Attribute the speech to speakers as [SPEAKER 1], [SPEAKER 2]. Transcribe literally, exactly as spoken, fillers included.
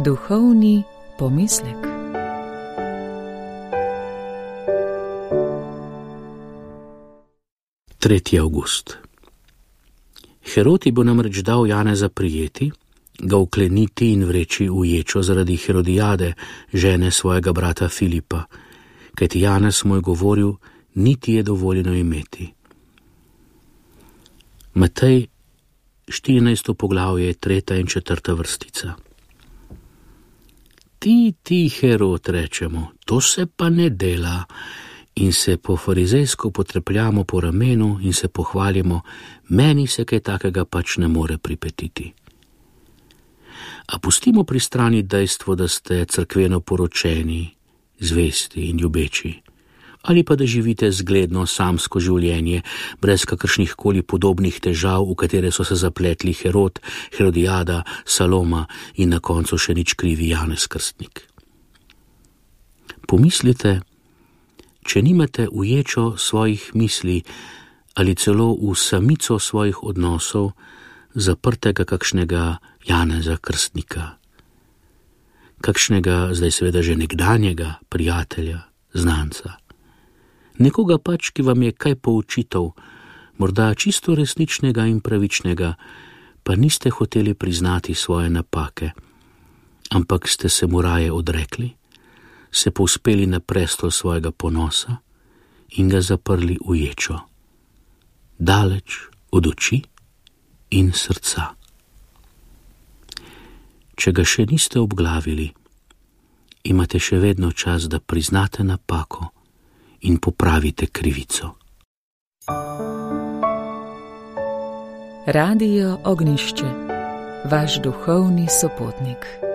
[SPEAKER 1] Duhovni pomislek.
[SPEAKER 2] tretji avgust. Herod bo namreč dal Janeza prijeti, ga vkleniti in vreči v ječo zaradi Herodijade, žene svojega brata Filipa, kajti Janez mu je govoril, niti je dovoljeno imeti. Matej, štirinajsto poglavje, tretja in četrta vrstica. Ti, ti, Herod, rečemo, to se pa ne dela, in se po farizejsko potrepljamo po ramenu in se pohvalimo, meni se kaj takega pač ne more pripetiti. A pustimo pri strani dejstvo, da ste cerkveno poročeni, zvesti in ljubeči, ali pa da živite zgledno samsko življenje, brez kakršnih koli podobnih težav, v katere so se zapletli Herod, Herodijada, Saloma in na koncu še nič krivi Janez Krstnik. Pomislite, če nimate v ječo svojih misli ali celo v samico svojih odnosov zaprtega kakšnega Janeza Krstnika, kakšnega zdaj seveda že nekdanjega prijatelja, znanca, nekoga pač, ki vam je kaj poučital, morda čisto resničnega in pravičnega, pa niste hoteli priznati svoje napake, ampak ste se mu raje odrekli, se povzpeli na prestol svojega ponosa in ga zaprli v ječo, daleč od oči in srca. Če ga še niste obglavili, imate še vedno čas, da priznate napako in popravite krivico.
[SPEAKER 1] Radio Ognjišče, vaš duhovni sopotnik.